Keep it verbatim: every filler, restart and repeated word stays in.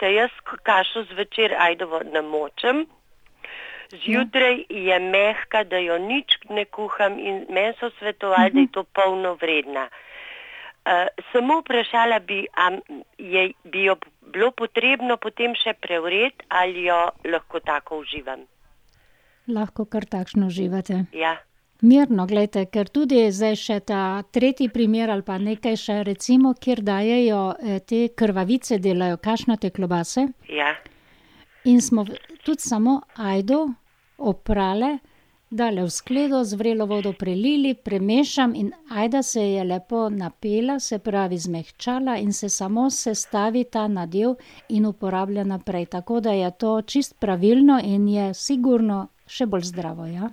Jaz kašo zvečer ajdovo namočim, zjutraj je mehka, da jo nič ne kuham in meni so svetovali, da je to polnovredna. Uh, samo vprašala bi, a je, bi jo bilo potrebno potem še prevreti ali jo lahko tako uživam? Lahko kar takšno uživate. Ja. Mirno, glejte, ker tudi zdaj še ta tretji primer ali pa nekaj še, recimo, kjer dajejo te krvavice, delajo kašnate klobase. Ja. In smo tudi samo ajdo oprale, dale v skledo, z vrelo vodo prelili, premešam in ajda se je lepo napela, se pravi zmehčala in se samo sestavi ta nadev in uporablja naprej. Tako da je to čisto pravilno in je sigurno še bolj zdravo, ja.